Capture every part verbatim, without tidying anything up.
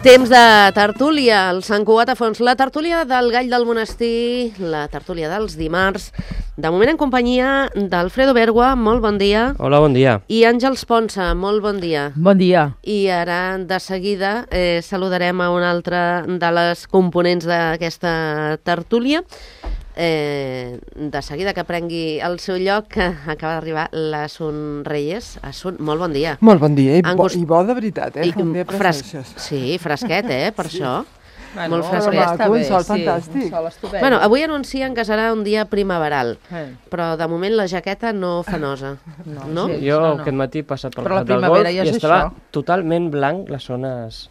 Temps de tertúlia, el Sant Cugat a fons, la tertúlia del Gall del Monestir, la tertúlia dels dimarts, de moment en companyia d'Alfredo Bergua, molt bon dia. Hola, bon dia. I Àngels Ponsa, molt bon dia. Bon dia. I ara, de seguida, eh, saludarem a una altra de les components d'aquesta tertúlia. Eh, de seguida que prengui el seu lloc, que acaba d'arribar l'Assun Reyes. Assun, molt bon dia. Molt bon dia, i, bo, Gust... i bo de veritat, eh? I, fres... Sí, fresquet, eh? Per sí. Això. Bueno, molt fresquet. Està bé, un sol sí, fantàstic. Un sol estupend. Bueno, avui anuncien que serà un dia primaveral, eh. però de moment la jaqueta no fa nosa. No, no? Sí, jo no, no. aquest matí he passat pel però la del golf ja i estava això. totalment blanc les zones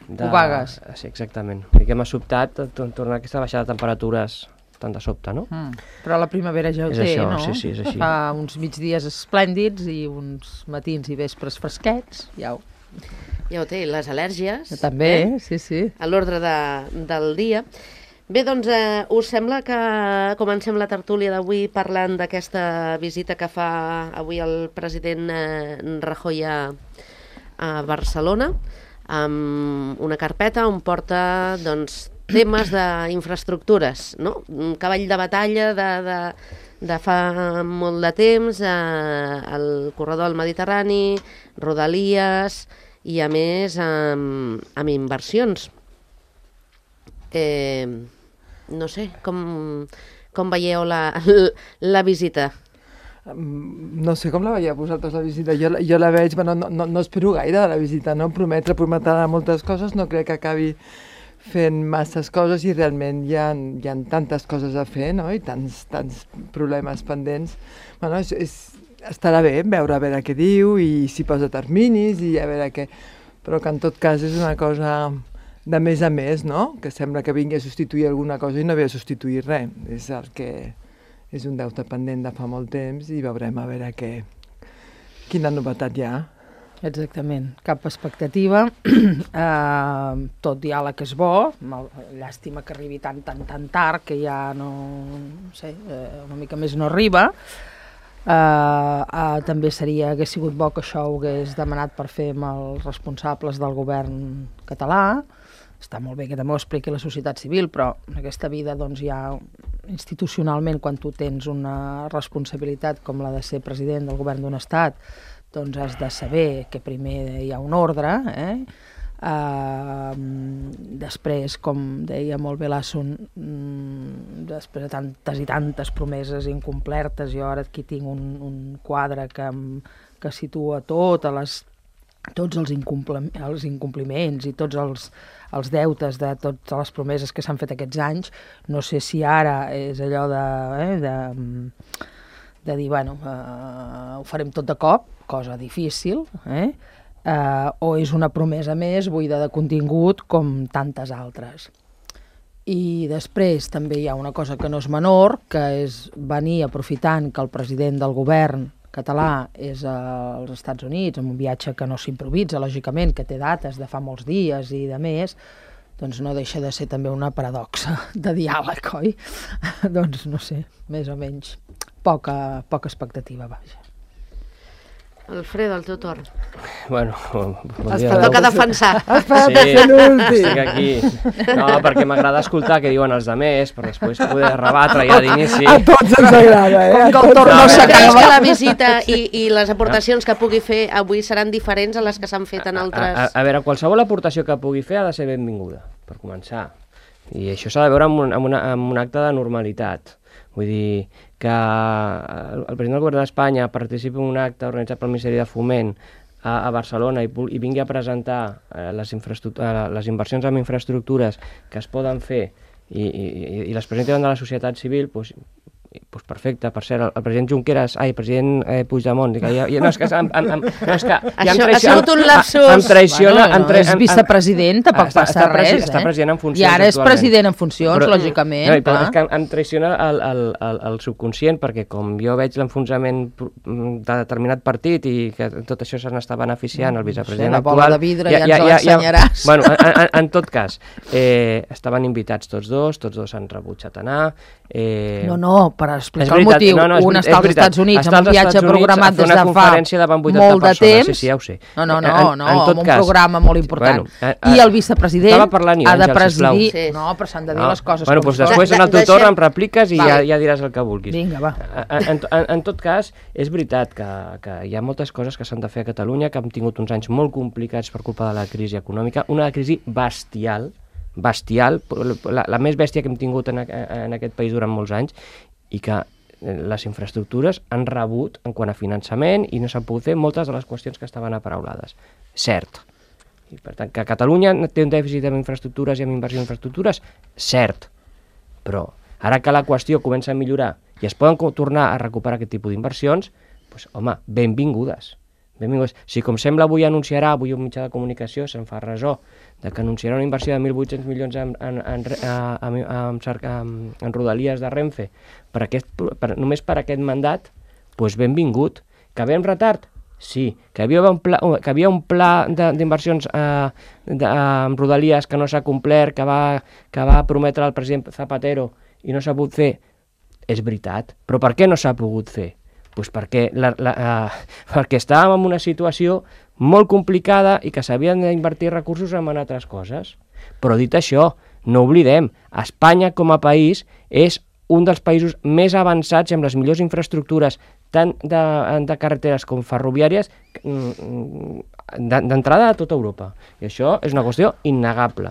de... Obagues. Sí, exactament. I que m'ha sobtat tornar a aquesta baixada de temperatures tant de sobte, no? Mm. Però la primavera ja ho és té, això, no? Sí, sí, és així. Fa uns migdies esplèndids i uns matins i vespres fresquets, ja ho... Ja ho té, les al·lèrgies. També, eh? sí, sí. A l'ordre de, del dia. Bé, doncs, eh, us sembla que comencem la tertúlia d'avui parlant d'aquesta visita que fa avui el president eh, Rajoy a, a Barcelona, amb una carpeta on porta, doncs, temes d'infraestructures, no? Un cavall de batalla de, de, de fa molt de temps, eh, el corredor del Mediterrani, Rodalies i, a més, amb, amb inversions. Eh, no sé, com, com veieu la, la visita? No sé com la veieu vosaltres, la visita. Jo, jo la veig, bueno, no, no, no espero gaire de la visita, no? Prometre, prometrà moltes coses, no crec que acabi fent masses coses i realment hi ha, hi ha tantes coses a fer, no? I tants, tants problemes pendents. Bueno, és, és, estarà bé veure a veure què diu i si posa terminis i a veure què... Però que en tot cas és una cosa de més a més, no? Que sembla que vingui a substituir alguna cosa i no ve a substituir res. És el que és un deute pendent de fa molt temps i veurem a veure què, quina novetat hi ha. Exactament, cap expectativa, uh, tot diàleg és bo, llàstima que arribi tan, tan, tan tard que ja no, no sé, uh, una mica més no arriba. Uh, uh, també seria, hagués sigut bo que això ho hagués demanat per fer amb els responsables del govern català. Està molt bé que també ho expliqui la societat civil, però en aquesta vida doncs, ja institucionalment, quan tu tens una responsabilitat com la de ser president del govern d'un estat, doncs has de saber que primer hi ha un ordre, eh? Uh, després, com deia molt bé l'Assun, mm, després de tantes i tantes promeses incomplertes, jo ara aquí tinc un, un quadre que, que situa totes les, tots els, incomplim, els incompliments i tots els, els deutes de totes les promeses que s'han fet aquests anys. No sé si ara és allò de... Eh, de de dir, bueno, uh, ho farem tot de cop, cosa difícil, eh? Uh, o és una promesa més buida de contingut com tantes altres. I després també hi ha una cosa que no és menor, que és venir aprofitant que el president del govern català és als Estats Units, amb un viatge que no s'improvisa, lògicament, que té dates de fa molts dies i de més, doncs no deixa de ser també una paradoxa de diàleg, oi? Doncs no sé, més o menys. Poca, poca expectativa, vaja. Alfredo, el teu torn. Bueno, bon dia. Toca defensar. Espera't sí, a fer l'últim. Estic aquí. No, perquè m'agrada escoltar què diuen els altres, per després poder rebatre ja d'inici. A tots ens agrada, eh? Com que el torn no s'acaba. Creus que la visita i, i les aportacions que pugui fer avui seran diferents a les que s'han fet en altres... A, a, a veure, qualsevol aportació que pugui fer ha de ser benvinguda, per començar. I això s'ha de veure amb un, amb, una, amb un acte de normalitat. Vull dir que el president del govern d'Espanya participi en un acte organitzat pel Ministeri de Foment a, a Barcelona i, i vingui a presentar eh, les, eh, les inversions en infraestructures que es poden fer i, i, i les presenti davant de la societat civil, doncs, pues perfecte. Per cert, el, el president Junqueras, ai, el president eh, Puigdemont, que ja, ja, no, és que, em, em, em, no, és que ja em traiciona, ha sigut un lapsus. Em traiciona... Bueno, no, és vicepresident, tampoc està, passa està res, presi, eh? Està president en funcions I ara és actualment. president en funcions, però, lògicament. No, però és que em, em traiciona el, el, el, el subconscient, perquè com jo veig l'enfonsament de determinat partit i que tot això se n'està beneficiant el vicepresident sí, la bola actual... de vidre ja, ja ens l'ensenyaràs. Bueno, en, en, en tot cas, eh, estaven invitats tots dos, tots dos han rebutjat anar... Eh... No, no, per explica el motiu. No, no, és, un està als Estats Units amb un viatge programat des de fa molt de temps. Sí, sí, ja ho sé. No, no, no, no amb un programa molt important. I el vicepresident ha de presidir... No, però s'han de dir les coses com són. Després en el teu torn em repliques i ja diràs el que vulguis. Vinga, va. En tot cas, és veritat que hi ha moltes coses que s'han de fer a Catalunya, que hem tingut uns anys molt complicats per culpa de la crisi econòmica, una crisi bestial, bestial, la, la més bèstia que hem tingut en, en aquest país durant molts anys, i que les infraestructures han rebut en quant a finançament i no s'han pogut fer moltes de les qüestions que estaven aparaulades. Cert. I per tant, que Catalunya té un dèficit amb infraestructures i amb inversió en infraestructures, cert. Però ara que la qüestió comença a millorar i es poden tornar a recuperar aquest tipus d'inversions, doncs, home, benvingudes. Benvinguts. Si com sembla avui anunciarà, avui un mitjà de comunicació se'n fa ressò, de que anunciarà una inversió de mil vuit-cents milions en, en, en, en, en, en, en rodalies de Renfe, per aquest, per, només per aquest mandat, doncs benvingut. Que ve en retard? Sí. Que hi havia un pla, que havia un pla d'inversions eh, en rodalies que no s'ha complert, que va, que va prometre el president Zapatero i no s'ha pogut fer? És veritat. Però per què no s'ha pogut fer? Pues perquè, la, la, uh, perquè estàvem en una situació molt complicada i que s'havien d'invertir recursos en altres coses. Però dit això, no oblidem, Espanya com a país és un dels països més avançats i amb les millors infraestructures tant de, de carreteres com ferroviàries d'entrada a tota Europa. I això és una qüestió innegable.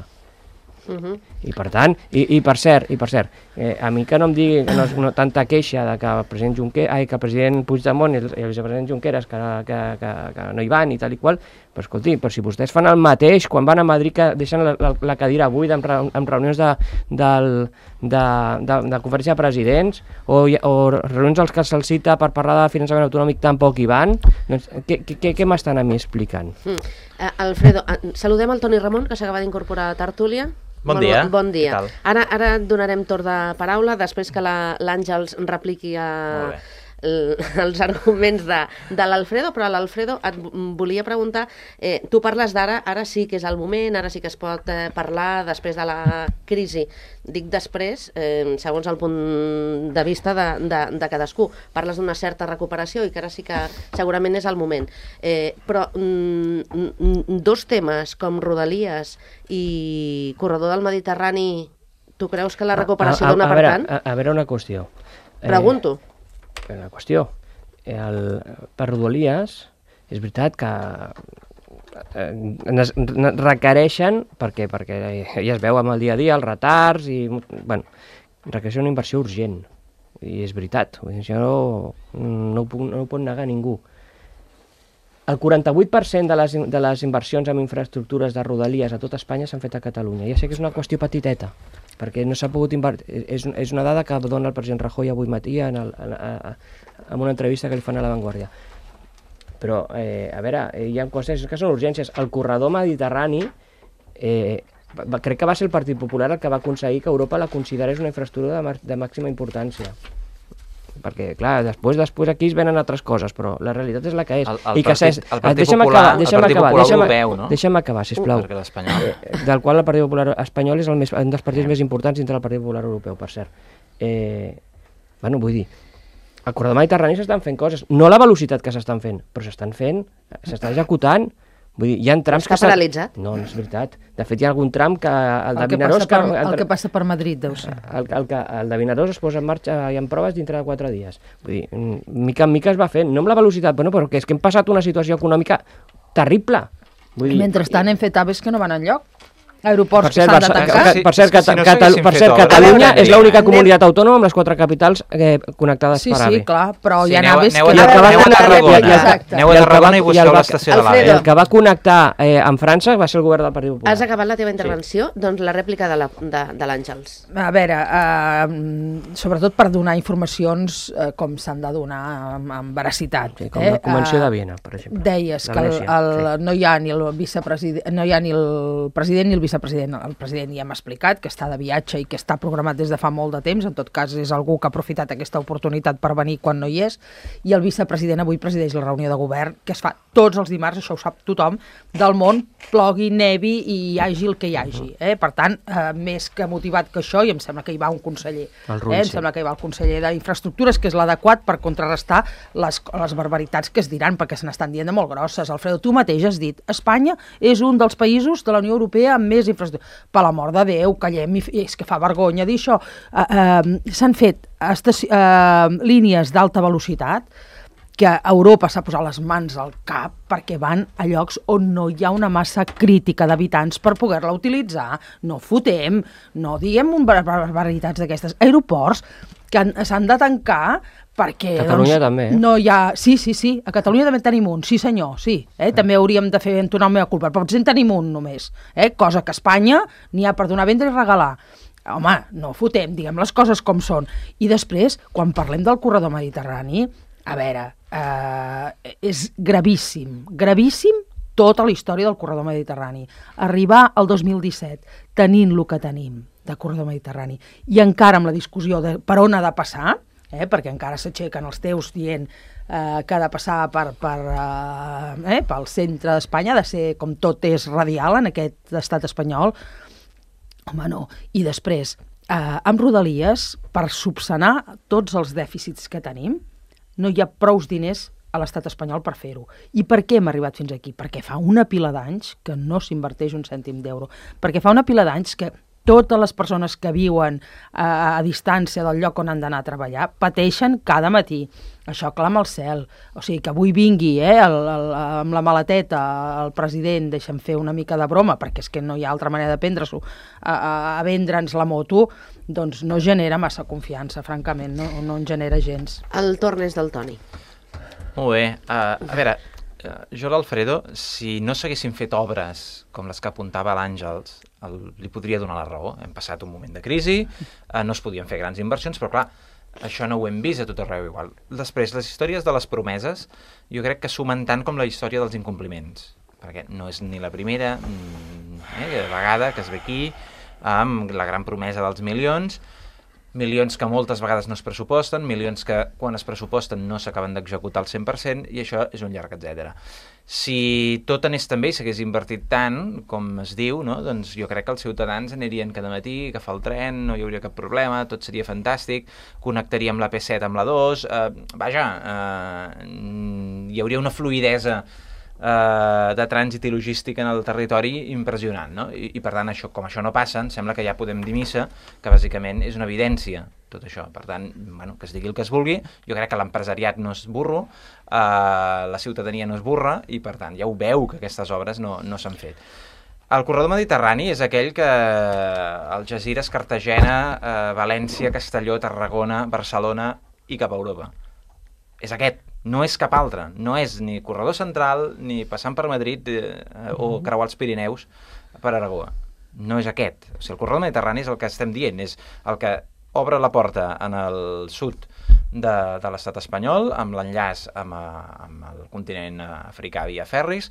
Uh-huh. I per tant, i, i per cert, i per cert eh, a mi que no em digui que no és una, tanta queixa de que el president Junqueras, ai, que el president Puigdemont i el, i el vicepresident Junqueras que, que, que, que no hi van i tal i qual, però escolti, però si vostès fan el mateix quan van a Madrid, que deixen la, la, la cadira buida en, en reunions de, del, de, de, de conferència de presidents o, o reunions als que se'ls cita per parlar de finançament autonòmic tampoc hi van, doncs què, què, què m'estan a mi explicant? Mm. Uh, Alfredo, uh, saludem el Toni Ramon, que s'acaba d'incorporar a Tertúlia. Bon dia. Bon dia. Ara, ara donarem torn de paraula, després que l'Àngels repliqui a els arguments de, de l'Alfredo, però l'Alfredo et volia preguntar, eh, tu parles d'ara, ara sí que és el moment, ara sí que es pot eh, parlar després de la crisi. Dic després, eh, segons el punt de vista de, de, de cadascú. Parles d'una certa recuperació i que ara sí que segurament és el moment. Eh, però mm, dos temes com Rodalies i Corredor del Mediterrani, tu creus que la recuperació dona per tant? A, a, a veure una qüestió. Pregunto. Eh, una qüestió. El, per Rodalies, és veritat que eh, requereixen, perquè, perquè ja es veu amb el dia a dia, els retards, i bueno, requereixen una inversió urgent. I és veritat, això no, no, ho puc, no ho pot negar ningú. El quaranta-vuit per cent de les, de les inversions en infraestructures de Rodalies a tot Espanya s'han fet a Catalunya. Ja sé que és una qüestió petiteta, perquè no s'ha pogut invertir. És, és una dada que dona el president Rajoy avui matí en, el, en, a, en una entrevista que li fan a La Vanguardia. Però, eh, a veure, hi ha qüestions que són urgències. El corredor mediterrani, eh, va, crec que va ser el Partit Popular el que va aconseguir que Europa la considerés una infraestructura de, de màxima importància. Perquè, clar, després després aquí es venen altres coses, però la realitat és la que és. El, el, I que partit, el Partit deixa'm Popular, acabar, deixa'm el Partit acabar, Popular deixa'm, Europeu, no? Deixa'm acabar, sisplau. Perquè l'espanyol... Eh, del qual el Partit Popular espanyol és el més, un dels partits més importants dintre del Partit Popular Europeu, per cert. Eh, bueno, vull dir, al corredor mediterrani s'estan fent coses, no a la velocitat que s'estan fent, però s'estan fent, s'estan executant. Vull dir, hi ha trams Està que... Està paralitzat? No, no és veritat. De fet, hi ha algun tram que... El, El, de que, Vinaròs, passa per, que, el que passa per Madrid, deu ser. El, el, el, el de Vinaròs es posa en marxa i en proves dintre de quatre dies. Vull dir, mica en mica es va fent, no amb la velocitat, bueno, però que és que hem passat una situació econòmica terrible. Vull dir, mentrestant hem fet aves que no van enlloc. Aeroports per cert, que s'han de tancar. Per cert, si no per cert Catalunya és l'única comunitat autònoma amb les quatre capitals eh, connectades sí, per AVE. Sí, sí, clar, però sí, hi ha aneu, naves aneu que... A, aneu, aneu a Tarragona, aneu a Tarragona i busqueu l'estació de l'AVE. El que va connectar eh, amb França va ser el govern del Partit Popular. Has acabat la teva intervenció? Sí. Doncs la rèplica de l'Àngels. A veure, eh, sobretot per donar informacions eh, com s'han de donar amb, amb veracitat. Sí, com eh? la Convenció de Viena, per exemple. Deies que el, el, sí. no, hi ha ni el vicepresident, no hi ha ni el president ni el vicepresident, el president ja m'ha explicat que està de viatge i que està programat des de fa molt de temps, en tot cas és algú que ha aprofitat aquesta oportunitat per venir quan no hi és, i el vicepresident avui presideix la reunió de govern, que es fa tots els dimarts, això ho sap tothom, del món, plogui, nevi i hi hagi el que hi hagi. Eh? Per tant, eh, més que motivat que això, i em sembla que hi va un conseller, eh? em sembla que hi va el conseller d'Infraestructures, que és l'adequat per contrarrestar les, les barbaritats que es diran, perquè se n'estan dient de molt grosses. Alfredo, tu mateix has dit, Espanya és un dels països de la Unió Europea amb més infraestructures. Per l'amor de Déu, callem, i és que fa vergonya dir això. Uh, uh, S'han fet estaci- uh, línies d'alta velocitat que Europa s'ha posat les mans al cap perquè van a llocs on no hi ha una massa crítica d'habitants per poder-la utilitzar. No fotem, no diguem barbaritats d'aquestes. Aeroports que s'han de tancar perquè... Catalunya doncs, també, eh? No hi ha... Sí, sí, sí, a Catalunya també tenim un, sí senyor, sí. Eh? També hauríem de fer entonar la meva culpa, però potser en tenim un només, eh? Cosa que a Espanya n'hi ha per donar, vendre i regalar. Home, no fotem, diguem les coses com són. I després, quan parlem del corredor mediterrani, a veure, eh, és gravíssim, gravíssim tota la història del corredor mediterrani. Arribar al dos mil disset tenint el que tenim de corredor mediterrani i encara amb la discussió de per on ha de passar, eh, perquè encara s'aixequen els teus dient eh, que ha de passar per, per, eh, eh, pel centre d'Espanya, ha de ser com tot és radial en aquest estat espanyol. Home, no. I després, eh, amb Rodalies, per subsanar tots els dèficits que tenim, no hi ha prous diners a l'estat espanyol per fer-ho. I per què hem arribat fins aquí? Perquè fa una pila d'anys que no s'inverteix un cèntim d'euro. Perquè fa una pila d'anys que totes les persones que viuen a, a distància del lloc on han d'anar a treballar pateixen cada matí. Això clama al cel. O sigui, que avui vingui eh, el, el, amb la maleteta el president, deixa'm fer una mica de broma, perquè és que no hi ha altra manera de prendre-s'ho, a, a, a vendre'ns la moto, doncs no genera massa confiança, francament, no, no en genera gens. El torn és del Toni. Molt bé. Uh, a veure, uh, jo l'Alfredo, si no s'haguessin fet obres com les que apuntava l'Àngels, el, li podria donar la raó. Hem passat un moment de crisi, uh, no es podien fer grans inversions, però clar, això no ho hem vist a tot arreu igual. Després, les històries de les promeses, jo crec que sumen tant com la història dels incompliments, perquè no és ni la primera eh, vegada que es ve aquí amb la gran promesa dels milions, milions que moltes vegades no es pressuposten, milions que quan es pressuposten no s'acaben d'executar al cent per cent, i això és un llarg etcètera. Si tot anés tan bé i s'hagués invertit tant, com es diu, no? Doncs jo crec que els ciutadans anirien cada matí, agafar el tren, no hi hauria cap problema, tot seria fantàstic, connectaríem la P set amb la dos, eh, vaja, eh, hi hauria una fluïdesa Uh, de trànsit i logística en el territori impressionant, no? I, i per tant, això, com això no passa, em sembla que ja podem dir missa, que bàsicament és una evidència tot això. Per tant, bueno, que es digui el que es vulgui, jo crec que l'empresariat no és burro, uh, la ciutadania no és burra, i per tant ja ho veu que aquestes obres no, no s'han fet. El corredor mediterrani és aquell que Algesires, Cartagena, uh, València, Castelló, Tarragona, Barcelona i cap a Europa. És aquest. No és cap altre, no és ni corredor central, ni passant per Madrid eh, o creuar els Pirineus per Aragó. No és aquest. O sigui, el corredor mediterrani és el que estem dient, és el que obre la porta en el sud de, de l'estat espanyol, amb l'enllaç amb, amb el continent africà via ferris,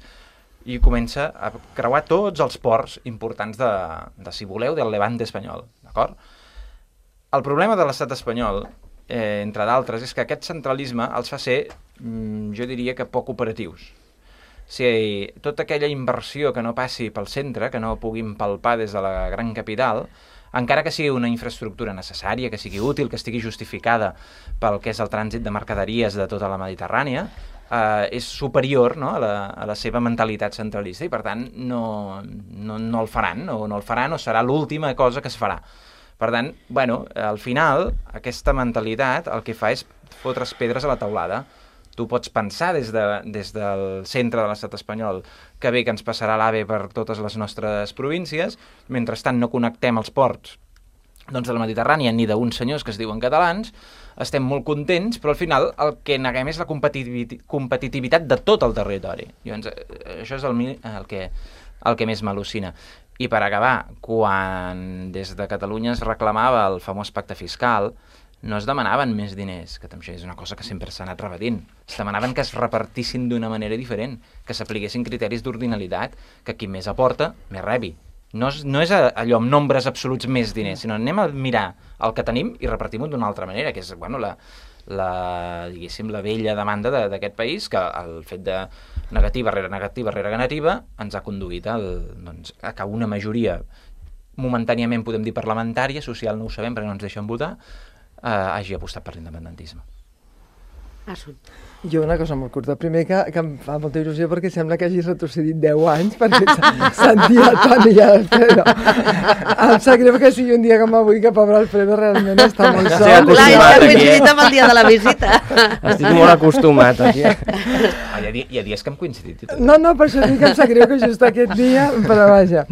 i comença a creuar tots els ports importants de, de si voleu, del Levante espanyol. D'acord? El problema de l'estat espanyol, Eh, entre d'altres, és que aquest centralisme els fa ser, mm, jo diria que poc operatius. O sigui, tota aquella inversió que no passi pel centre, que no puguin palpar des de la gran capital, encara que sigui una infraestructura necessària, que sigui útil, que estigui justificada pel que és el trànsit de mercaderies de tota la Mediterrània, eh, és superior, no?, a, la, a la seva mentalitat centralista, i per tant no, no, no el faran, no, no el faran, o serà l'última cosa que es farà. Per tant, bueno, al final, aquesta mentalitat el que fa és fotre's pedres a la teulada. Tu pots pensar des, de, des del centre de l'estat espanyol que bé que ens passarà l'AVE per totes les nostres províncies, mentrestant no connectem els ports doncs de la Mediterrània ni d'uns senyors que es diuen catalans, estem molt contents, però al final el que neguem és la competitivitat, competitivitat de tot el territori. Llavors, això és el, el, que, el que més m'al·lucina. I per acabar, quan des de Catalunya es reclamava el famós pacte fiscal, no es demanaven més diners, que també és una cosa que sempre s'ha anat repetint. Es demanaven que es repartissin d'una manera diferent, que s'apliquessin criteris d'ordinalitat, que qui més aporta, més rebi. No és, no és allò amb nombres absoluts més diners, sinó anem a mirar el que tenim i repartim-ho d'una altra manera, que és, bueno, la, la, diguéssim, la vella demanda d'aquest país, que el fet de negativa rere negativa rere negativa ens ha conduït al, doncs, a que una majoria momentàniament, podem dir, parlamentària, social no ho sabem perquè no ens deixen votar, eh, hagi apostat per l'independentisme. Assunt. Jo una cosa molt curta. Primer que, que em fa molta il·lusió perquè sembla que hagis retrocedit deu anys perquè sentia el Toni i Alfredo. Em sap greu que sigui un dia com avui, que pobre Alfredo realment està molt sol. Clar, ja he coincidit amb el dia de la visita. Estic molt acostumat aquí. Ah, hi, ha, hi ha dies que hem coincidit. No, no, per això dic que em sap greu que just aquest dia, però vaja.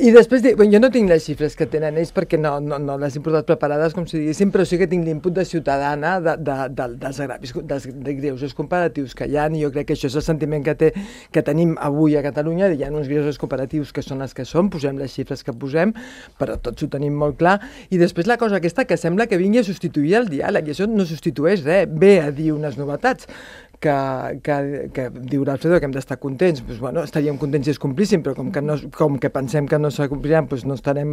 I després, dic, bueno, jo no tinc les xifres que tenen ells perquè no, no, no les he portat preparades, com si diguéssim, però sí que tinc l'input de ciutadana de, de, de, dels agravis, dels greuges comparatius que hi ha, i jo crec que això és el sentiment que, té, que tenim avui a Catalunya. Hi ha uns greuges comparatius que són els que són, posem les xifres que posem, però tots ho tenim molt clar. I després la cosa aquesta que sembla que vingui a substituir el diàleg, i això no substitueix res, ve a dir unes novetats. Que, que, que diu l'Alfredo que hem d'estar contents, doncs, bueno, estaríem contents si es complissin, però com que, no, com que pensem que no s'acompliran, doncs no estarem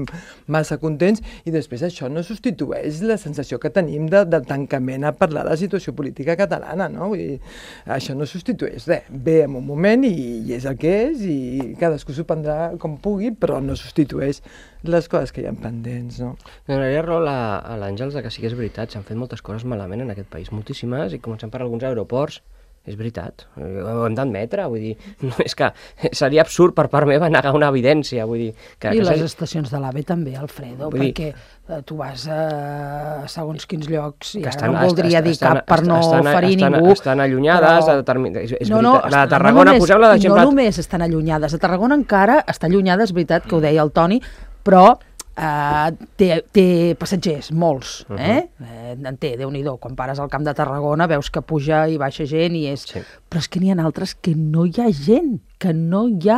massa contents, i després això no substitueix la sensació que tenim de, del tancament a parlar de la situació política catalana, no? Vull dir, això no substitueix res, ve en un moment i, i és el que és, i cadascú s'ho prendrà com pugui, però no substitueix les coses que hi ha pendents, no? Donaria raó a l'Àngels que sí que és veritat, s'han fet moltes coses malament en aquest país, moltíssimes, i comencem per alguns aeroports. És veritat, ho hem d'admetre, vull dir, no, és que seria absurd per part meva negar una evidència, vull dir... Que, I que les seria... estacions de l'AVE també, Alfredo, dir... perquè eh, tu vas a segons quins llocs, i ara estan, no voldria est, dir estan, cap per no estan, ferir estan, ningú... Estan allunyades, però... determin... és, és no, no, veritat, la de Tarragona, no posem-la d'exemple... No només estan allunyades, a Tarragona encara està allunyada, és veritat que ho deia el Toni, però... Uh, té, té passatgers, molts, uh-huh. eh? eh? En té, Déu-n'hi-do, quan pares al Camp de Tarragona veus que puja i baixa gent i és... Sí. Però és que n'hi ha altres que no hi ha gent, que no hi ha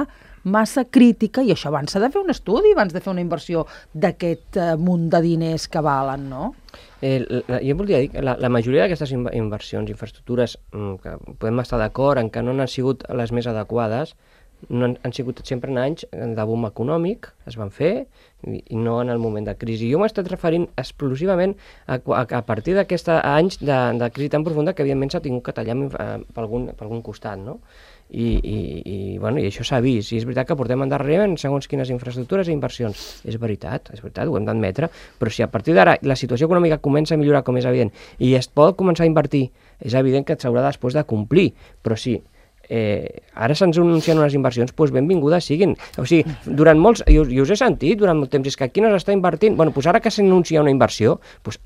massa crítica, i això abans s'ha de fer un estudi, abans de fer una inversió d'aquest uh, munt de diners que valen, no? Eh, la, jo voldria dir que la, la majoria d'aquestes inversions, infraestructures, que podem estar d'acord en que no han sigut les més adequades, no han, han sigut sempre en anys de boom econòmic, es van fer, i, i no en el moment de crisi. Jo m'he estat referint exclusivament a, a, a partir d'aquests anys de, de crisi tan profunda que evidentment s'ha tingut que tallar per algun, per algun costat, no? I, i, i, bueno, i això s'ha vist, i és veritat que portem endarrere en segons quines infraestructures i inversions. És veritat, és veritat, ho hem d'admetre, però si a partir d'ara la situació econòmica comença a millorar, com és evident, i es pot començar a invertir, és evident que s'haurà després de complir, però sí, Eh, ara se'ns anuncien unes inversions, doncs benvingudes siguin. O sigui, durant molts, jo, jo us he sentit durant molt temps, és que aquí no s'està invertint, bueno, doncs ara que s'anuncia una inversió, doncs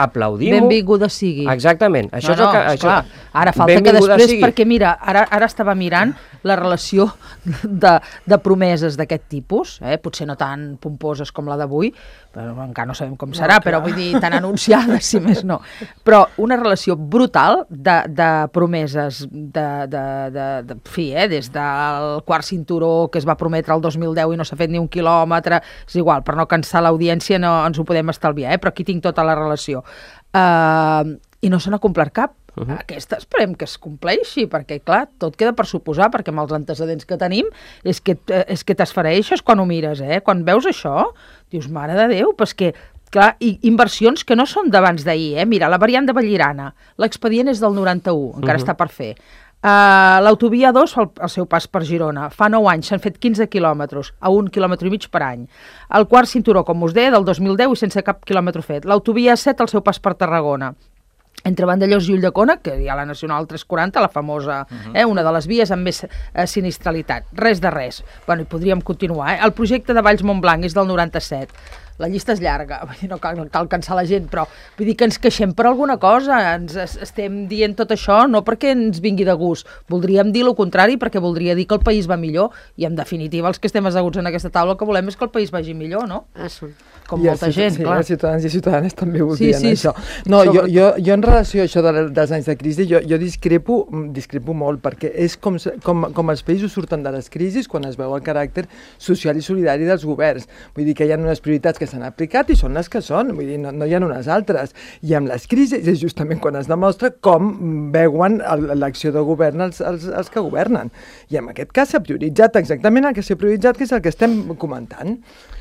aplaudim-ho. Benvinguda sigui. Exactament. Això no, no, és el que, això... clar, ara falta que després, sigui. Perquè mira, ara, ara estava mirant la relació de, de promeses d'aquest tipus, eh? Potser no tan pomposes com la d'avui, però encara no sabem com serà, no, però vull dir, tan anunciades, si més no. Però una relació brutal de, de promeses de, de, de, de fi, eh? Des del quart cinturó que es va prometre el dos mil deu i no s'ha fet ni un quilòmetre, és igual, per no cansar l'audiència no ens ho podem estalviar, eh? Però aquí tinc tota la relació. Uh, I no se n'ha complert cap. Uh-huh. Aquesta esperem que es compleixi, perquè clar, tot queda per suposar, perquè amb els antecedents que tenim és que, és que t'esfereixes quan ho mires, eh? Quan veus això, dius, mare de Déu, però és que, clar, i inversions que no són d'abans d'ahir, eh? Mira, la variant de Vallirana, l'expedient és del noranta-u, encara uh-huh. està per fer. Uh, l'autovia dos fa el, el seu pas per Girona, fa nou anys s'han fet quinze quilòmetres, a un quilòmetre i mig per any. El quart cinturó, com us deia, del dos mil deu i sense cap quilòmetre fet. L'autovia set, el seu pas per Tarragona, entre Vandellòs i Ulldecona, que hi ha la Nacional tres quaranta, la famosa, uh-huh. eh, una de les vies amb més eh, sinistralitat. Res de res. Bueno, i podríem continuar. Eh? El projecte de Valls-Montblanc és del noranta-set. La llista és llarga, no cal, cal cansar la gent, però vull dir que ens queixem per alguna cosa, ens estem dient tot això no perquè ens vingui de gust, voldríem dir el contrari perquè voldria dir que el país va millor, i en definitiva els que estem asseguts en aquesta taula el que volem és que el país vagi millor, no? Ah, sí. Com I molta gent, sí, clar. Els ciutadans i ciutadanes també voldrien sí, sí, això. No, jo, jo, jo en relació a això de, dels anys de crisi, jo, jo discrepo, discrepo molt, perquè és com, com, com els països surten de les crisis quan es veu el caràcter social i solidari dels governs. Vull dir que hi ha unes prioritats que s'han aplicat i són les que són, vull dir, no, no hi ha unes altres. I amb les crisis és justament quan es demostra com veuen l'acció de govern els, els, els que governen. I en aquest cas s'ha prioritzat exactament el que s'ha prioritzat, que és el que estem comentant.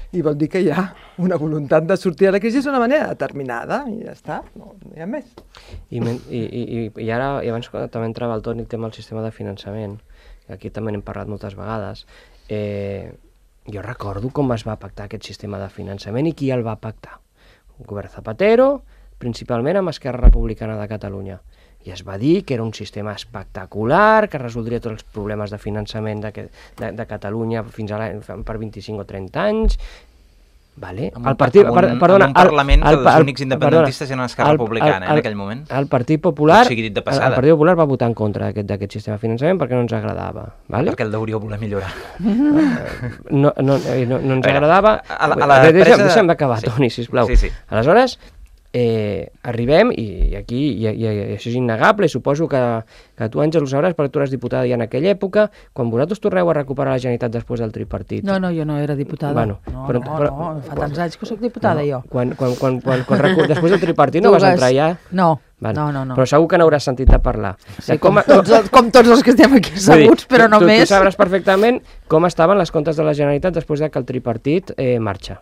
I vol dir que hi ha una voluntat de sortir de la crisi d'una manera determinada i ja està, no, no hi ha més. I, i, i, i ara, i abans també entrava el Toni el tema del sistema de finançament, que aquí també n'hem parlat moltes vegades, eh, jo recordo com es va pactar aquest sistema de finançament i qui el va pactar. El govern Zapatero, principalment amb Esquerra Republicana de Catalunya. I es va dir que era un sistema espectacular, que resoldria tots els problemes de finançament de, de, de Catalunya fins a per vint-i-cinc o trenta anys. Vale. Amb, un, el partit, amb, un, per, perdona, amb un Parlament el, el, que els únics independentistes eren Esquerra el, Republicana el, el, eh, en aquell moment. El Partit Popular, o sigui, dit de el, el Partit Popular va votar en contra d'aquest sistema de finançament perquè no ens agradava. Vale? Perquè el deuríeu voler millorar. No, no, no, no ens agradava. A la, a la deixa'm, presa... deixa'm d'acabar, sí. Toni, sisplau. Sí, sí. Aleshores, eh, arribem, i aquí i, i, i això és innegable, i suposo que, que tu, Àngel, ho sabràs perquè tu eres diputada ja en aquella època, quan vosaltres torneu a recuperar la Generalitat després del tripartit. No, no, jo no era diputada. Bueno, no, però, no, però, no, fa tants anys que soc diputada, no, jo. Quan, quan, quan, quan, quan recu... després del tripartit no vas entrar ja? No, Vale. no, no, no. Però segur que n'hauràs sentit a parlar. Sí, com, com, tots, com tots els que estem aquí asseguts, però tu, només... Tu sabràs perfectament com estaven les comptes de la Generalitat després de que el tripartit eh, marxa.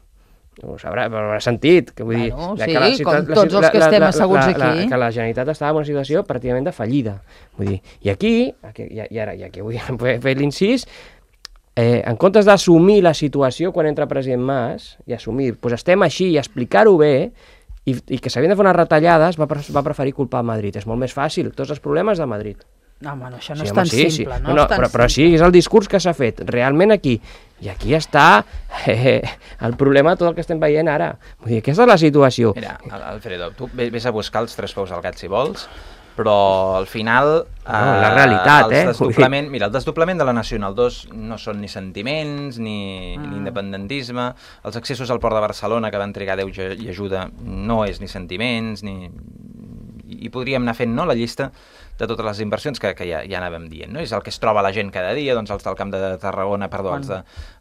Ho sabrà, però ho haurà sentit. Que vull bueno, dir, sí, que la, com tots els que estem asseguts aquí. La, la, que la Generalitat estava en una situació pràcticament de fallida. Vull dir, i aquí, aquí i, i ara, i aquí vull fer l'incís, eh, en comptes d'assumir la situació quan entra president Mas, i assumir, doncs estem així i explicar-ho bé, i, i que s'havien de fer unes retallades, va, va preferir culpar Madrid. És molt més fàcil, tots els problemes de Madrid. No, home, no, això no sí, és home, tan sí, simple. Sí. No, no, és tan però, però sí, és el discurs que s'ha fet, realment aquí. I aquí està eh, el problema de tot el que estem veient ara. Vull dir, aquesta és la situació. Mira, Alfredo, tu vés a buscar els tres peus al gat si vols, però al final... No, eh, la realitat, eh? Desdoblament, mira, el desdoblament de la Nacional dos no són ni sentiments, ni, ah. ni independentisme. Els accessos al Port de Barcelona, que van trigar Déu i ajuda, no és ni sentiments, ni... I podríem anar fent, no?, la llista de totes les inversions que, que ja, ja anàvem dient, no? És el que es troba la gent cada dia, doncs els del Camp de Tarragona, perdó, els, de,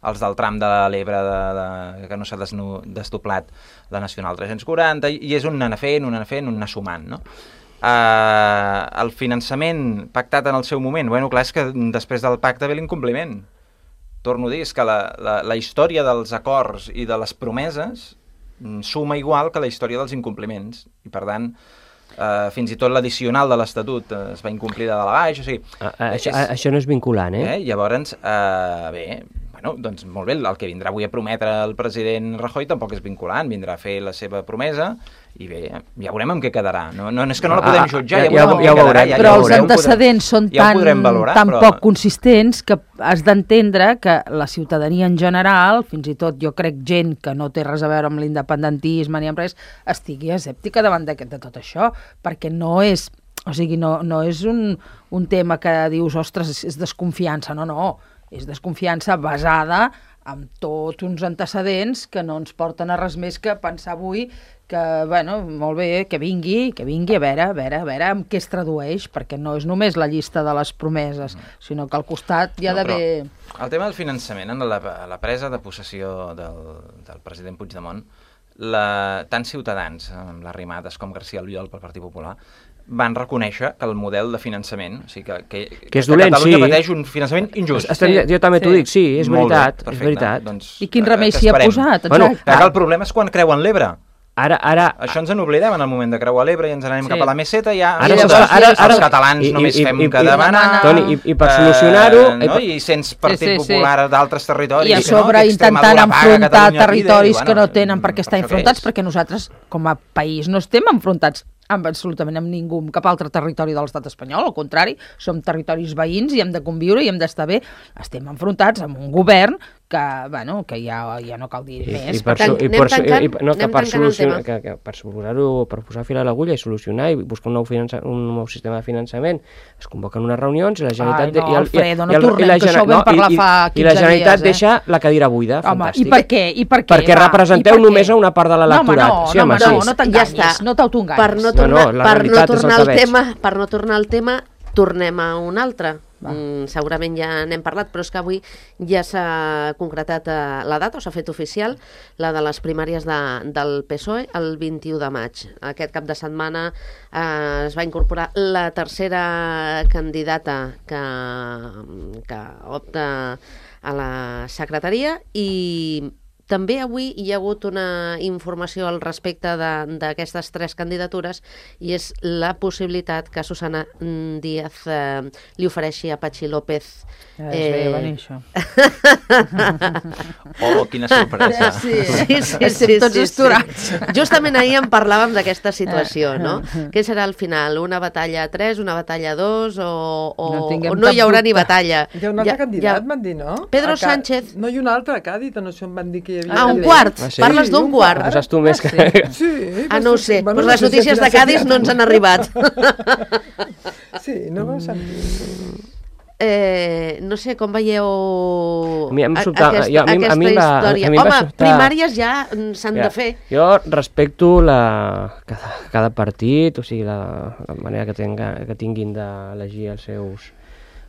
els del tram de l'Ebre de, de, que no s'ha desdoblat la Nacional tres-cents quaranta, i és un anar fent, un anar fent, un anar sumant, no? Uh, el finançament pactat en el seu moment, bueno, clar, és que després del pacte ve l'incompliment. Torno a dir, és que la, la, la història dels acords i de les promeses suma igual que la història dels incompliments, i per tant... Uh, fins i tot l'addicional de l'Estatut uh, es va incomplir de dalt a baix, o sigui... A, a, és, a, això no és vinculant, eh? eh? Llavors, uh, bé, bueno, doncs molt bé, el que vindrà avui a prometre el president Rajoy tampoc és vinculant, vindrà a fer la seva promesa i bé, ja veurem amb què quedarà. No, no és que no la podem jutjar, ja, ja, ja, ja ho veurem. Però els antecedents són ja tan, valorar, tan però... poc consistents que has d'entendre que la ciutadania en general, fins i tot jo crec gent que no té res a veure amb l'independentisme ni amb res, estigui escèptica davant de, de tot això, perquè no és, o sigui, no, no és un, un tema que dius, ostres, és desconfiança, no, no, és desconfiança basada amb tots uns antecedents que no ens porten a res més que pensar avui que, bueno, molt bé, que vingui, que vingui a veure, a veure, a veure amb què es tradueix, perquè no és només la llista de les promeses, sinó que al costat hi ha no, d'haver... El tema del finançament, en la, la presa de possessió del, del president Puigdemont, la, tant Ciutadans, amb les Arrimadas, com García Albiol pel Partit Popular, van reconèixer que el model de finançament, o sigui que, que, que, és dolent, que Catalunya sí. pateix un finançament injust. Estem, sí. Jo també t'ho sí. dic, sí, és Molt veritat, bé, és veritat. Doncs, I quin remei s'hi ha posat? Bueno, ah. El problema és quan creuen l'Ebre. Ara, ara, això ens n'oblidem en el moment de creuar l'Ebre i ens anem sí. cap a la meseta i ja ara, i ara, ara, els ara, catalans i, només i, fem i, que demanar. Toni, i, i per solucionar-ho... Eh, no? I sense Partit sí, sí, Popular sí. d'altres territoris. I a sobre no? intentant enfrontar territoris i, bueno, que no tenen per què estar enfrontats, és. perquè nosaltres, com a país, no estem enfrontats amb absolutament amb ningú, amb cap altre territori de l'estat espanyol, al contrari, som territoris veïns i hem de conviure i hem d'estar bé. Estem enfrontats amb un govern que, bueno, que ja, ja no cal dir I, més. I per, tant, i per, tancant, i, no, que per solucionar, que, que per posar-ho, per posar fil a l'agulla i solucionar i buscar un nou, finança, un nou sistema de finançament, es convoquen unes reunions i la Generalitat... Ai, no, i el, Alfredo, no i el, tornem, i la, que això ho vam parlar i, fa quinze dies. I la Generalitat dies, eh? deixa la cadira buida, home, fantàstic. I per què? I per què? Perquè va, representeu per només a una part de l'electorat. No, home, no, sí, no, home, no, sí. no t'enganyis, ja no t'autoenganyis. Per no tornar, no, no, per no tornar al tema, per no tornar al tema, tornem a un altre. Mm, segurament ja n'hem parlat, però és que avui ja s'ha concretat eh, la data, o s'ha fet oficial, la de les primàries de, del P S O E el vint-i-u de maig. Aquest cap de setmana eh, es va incorporar la tercera candidata que, que opta a la secretaria i també avui hi ha hagut una informació al respecte d'aquestes tres candidatures i és la possibilitat que Susana Díaz eh, li ofereixi a Patxi López. Ja es veia venir, això. Oh, quina sorpresa. Sí, sí, sí. Estem sí, tots sí, esturats. Sí. Justament ahir en parlàvem d'aquesta situació, no? Què serà al final? Una batalla a tres, una batalla a dos o, o No no, tinguem o no hi cap haurà dubte. ni batalla? Hi ha un altre candidat, van dir, no? Pedro A Ca- Sánchez. No, i un altre a Càdiz, o no sé on van dir que hi havia... Ah, un candidat. quart. Ah, sí? Parles d'un un quart. quart. Saps tu més que... Sí. Ah, no ho sé. Bueno, Pues les no sé si notícies de al final Cádiz s'ha no ens han arribat. Sí, no vau sentir. Eh, no sé, com veieu A mi em a- sobta- aquesta, jo- a mi- a aquesta mi em va- història? a mi em va Home, sobtar- primàries ja mm, s'han Ja, de fer. Jo respecto la, cada, cada partit, o sigui, la, la manera que, tenga, que tinguin d'elegir els seus,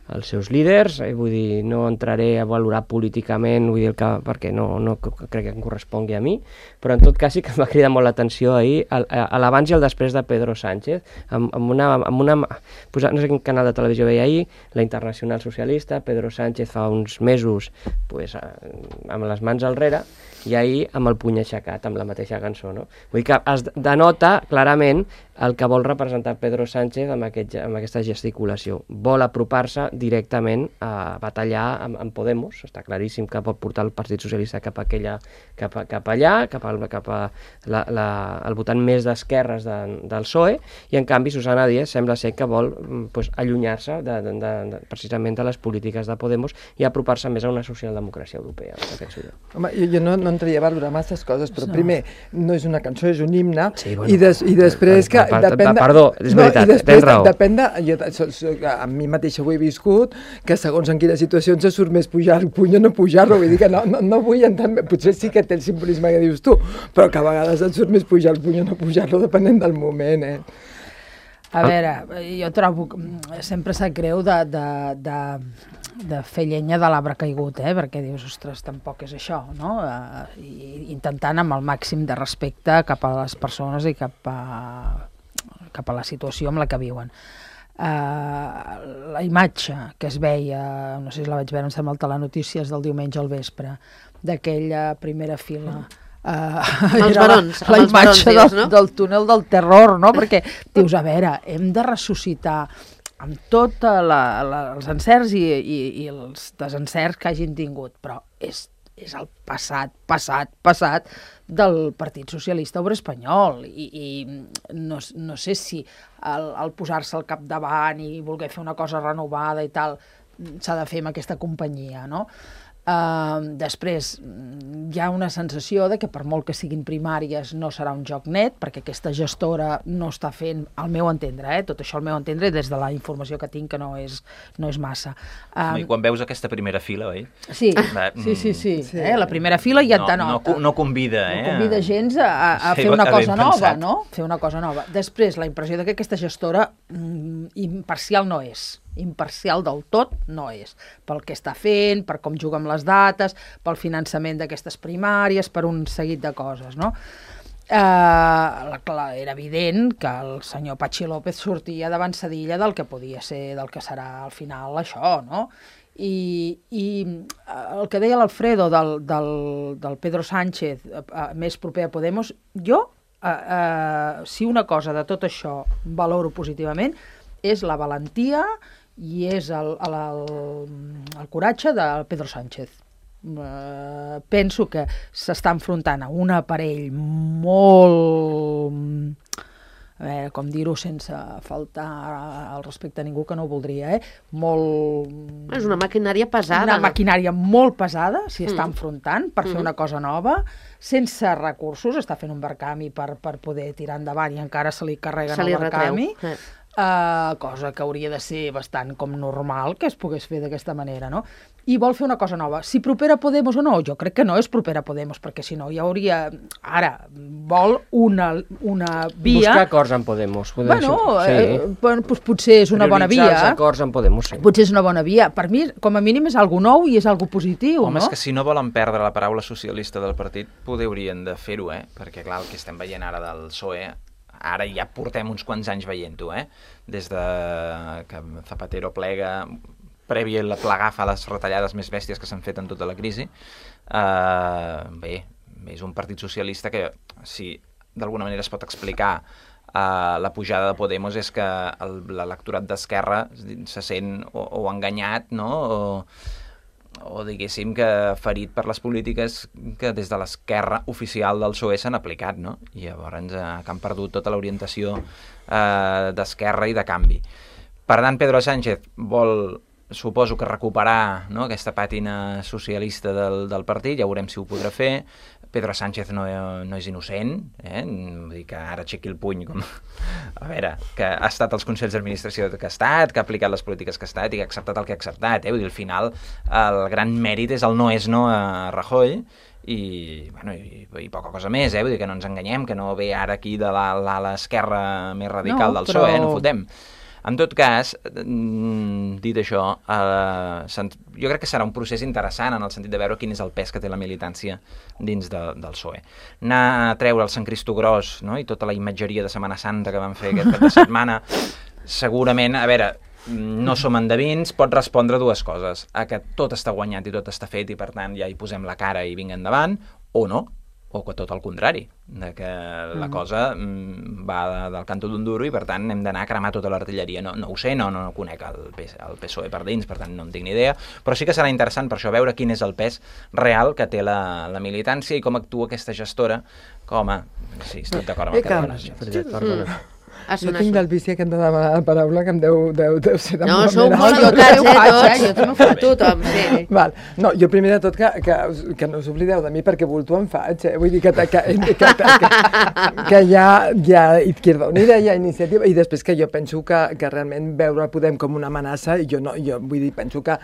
els seus líders, eh, vull dir, no entraré a valorar políticament, vull dir, el que, perquè no, no crec que em correspongui a mi, però en tot cas sí que em va cridar molt l'atenció ahir el- a l'abans i el després de Pedro Sánchez, amb, amb una, amb una pues, no sé quin canal de televisió veia ahir, la Internacional Socialista, Pedro Sánchez fa uns mesos pues, amb les mans al rere, i ahir amb el puny aixecat, amb la mateixa cançó, no? Vull dir que es denota clarament el que vol representar Pedro Sánchez amb, aquest, amb aquesta gesticulació. Vol apropar-se directament a batallar amb, amb Podemos, està claríssim que pot portar el Partit Socialista cap, a aquella, cap, a, cap allà, cap, al, cap a la, la, el votant més d'esquerres de, del P S O E, i en canvi Susana Díaz sembla ser que vol pues, allunyar-se de, de, de, de, precisament de les polítiques de Podemos i apropar-se més a una socialdemocràcia europea. Home, jo, jo no, no entraria a valorar masses coses, però No. primer, no és una cançó, és un himne, Sí, bueno, i, des, i després que per- per- depèn de... perdó, és veritat, i després tens raó. depèn de... Jo, so, so, a mi mateixa ho he viscut, que segons en quines situacions se surt més pujar el puny o no pujar-lo, vull dir que no, no, no vull entendre, potser sí que té el simbolisme que dius tu, però que a vegades et surt més pujar el puny o no pujar-lo, depenent del moment, eh? A veure, jo trobo que sempre sap greu de, de, de, de fer llenya de l'arbre caigut, eh? Perquè dius, ostres, tampoc és això, no? Uh, i intentant amb el màxim de respecte cap a les persones i cap a, cap a la situació amb la que viuen. Uh, la imatge que es veia, no sé si la vaig veure, em sembla, al Telenotícies del diumenge al vespre, d'aquella primera fila... Uh, els era barons, la, la amb els barons, imatge dius, del, no? del túnel del terror, no? Perquè dius, a veure, hem de ressuscitar amb tots els encerts i, i, i els desencerts que hagin tingut, però és, és el passat, passat, passat del Partit Socialista Obrer Espanyol i, i no, no sé si el, el posar-se al capdavant i voler fer una cosa renovada i tal s'ha de fer amb aquesta companyia, no? Uh, després hi ha una sensació de que per molt que siguin primàries no serà un joc net, perquè aquesta gestora no està fent, al meu entendre, eh? Tot això al meu entendre des de la informació que tinc, que no és, no és massa. Um, I quan veus aquesta primera fila, oi? sí, Va, sí, sí, sí, sí. eh? La primera fila ja et no, no, denota. co- no convida, eh? No convida gens a, a, a Sí, fer una ben cosa nova, pensat. no? Fer una cosa nova. Després, la impressió de que aquesta gestora mm, imparcial no és. Imparcial del tot no és. Pel que està fent, per com juga amb les dates, pel finançament d'aquestes primàries, per un seguit de coses, no? Eh, clar, era evident que el senyor Patxi López sortia d'avançadilla del que podia ser, del que serà al final això, no? I, i el que deia l'Alfredo del, del, del Pedro Sánchez, eh, eh, més proper a Podemos, jo, eh, eh, si una cosa de tot això valoro positivament, és la valentia i és el, el, el, el coratge de Pedro Sánchez. Uh, penso que s'està enfrontant a un aparell molt, a veure, com dir-ho sense faltar al respecte a ningú que no ho voldria, eh? Molt... És una maquinària pesada. Una maquinària molt pesada, s'hi Mm. està enfrontant per fer Mm. una cosa nova, sense recursos, està fent un barcami per, per poder tirar endavant i encara se li carreguen Se li el barcami. retreu. Eh. Uh, cosa que hauria de ser bastant com normal que es pogués fer d'aquesta manera, no? I vol fer una cosa nova. Si propera a Podemos o no? Jo crec que no és propera a Podemos, perquè si no ja hauria... Ara, vol una, una via... Buscar acords amb Podemos. Bueno, sí. eh, bueno doncs potser és una bona via. Prioritzar els acords amb Podemos, sí. Potser és una bona via. Per mi, com a mínim, és algo nou i és algo positiu, Home, no? és que si no volen perdre la paraula socialista del partit, poder haurien de fer-ho, eh? Perquè, clar, el que estem veient ara del P S O E, ara ja portem uns quants anys veient-ho, eh? Des de que Zapatero plega, prèvia la plegar fa les retallades més bèsties que s'han fet en tota la crisi. Uh, bé, és un partit socialista que, si d'alguna manera es pot explicar uh, la pujada de Podemos, és que l'electorat d'Esquerra se sent o, o enganyat, no?, o, o diguéssim que ferit per les polítiques que des de l'esquerra oficial del P S O E s'han aplicat, no? I llavors eh, que han perdut tota l'orientació eh, d'esquerra i de canvi. Per tant, Pedro Sánchez vol, suposo que recuperar, no?, aquesta pàtina socialista del, del partit, ja veurem si ho podrà fer. Pedro Sánchez no, no és innocent, eh? Vull dir que ara aixequi el puny, com... a veure, que ha estat als consells d'administració que ha estat, que ha aplicat les polítiques que ha estat i que ha acceptat el que ha acceptat, eh? Vull dir, al final el gran mèrit és el no és no a Rajoy i, bueno, i, i poca cosa més, eh? Vull dir que no ens enganyem, que no ve ara aquí de l'ala esquerra més radical no, del P S O E, però... no fotem. En tot cas, dit això, eh, jo crec que serà un procés interessant en el sentit de veure quin és el pes que té la militància dins de, del P S O E. Anar a treure el Sant Cristogrós, no?, i tota la imatgeria de Setmana Santa que van fer aquest cap de setmana, segurament, a veure, no som endevins, pot respondre dues coses: a que tot està guanyat i tot està fet i per tant ja hi posem la cara i vinga endavant, o no, o que tot el contrari, de que la mm. cosa mm, va de, del canto d'un duro i per tant hem d'anar a cremar tota l'artilleria. No, no ho sé, no, no conec el, el P S O E per dins, per tant no en tinc ni idea, però sí que serà interessant per això veure quin és el pes real que té la, la militància i com actua aquesta gestora com a... Sí, estic d'acord amb el que demanes. Perdona. Ah, jo tinc del vici aquest de demanar la paraula que em deu, deu, deu ser de no, molt sou molt educats, eh, tots. Jo també ho faig. Tothom, sí. Val. No, jo primer de tot que, que, que no us oblideu de mi perquè vulto em faig, eh? Vull dir que, que, que, que, que, que hi ha, hi ha Izquierda Unida, hi ha iniciativa, i després que jo penso que, que realment veure Podem com una amenaça, i jo no, jo vull dir, penso que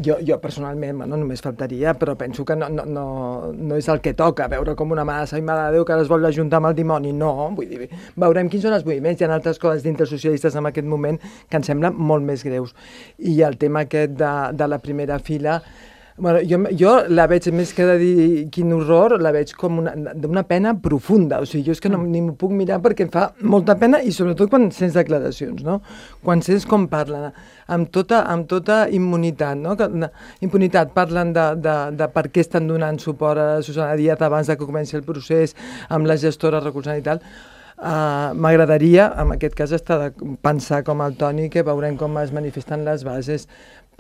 jo, jo personalment, bueno, només faltaria, però penso que no, no, no, no és el que toca, veure com una amenaça, i mare de Déu, que ara es vol ajuntar amb el dimoni, no, vull dir, veurem quins són els moviments. Hi ha altres coses dintre socialistes en aquest moment que em semblen molt més greus. I el tema aquest de, de la primera fila, bueno, jo, jo la veig, més que de dir quin horror, la veig com una, una pena profunda. O sigui, jo és que no, ni m'ho puc mirar perquè em fa molta pena, i sobretot quan sents declaracions, no? Quan sents com parlen, amb tota, amb tota immunitat, no? Que, impunitat, parlen de, de, de per què estan donant suport a Susana Díaz abans de que comenci el procés, amb la gestora recolzant i tal. Uh, m'agradaria, en aquest cas, estar de pensar com el Toni, que veurem com es manifesten les bases,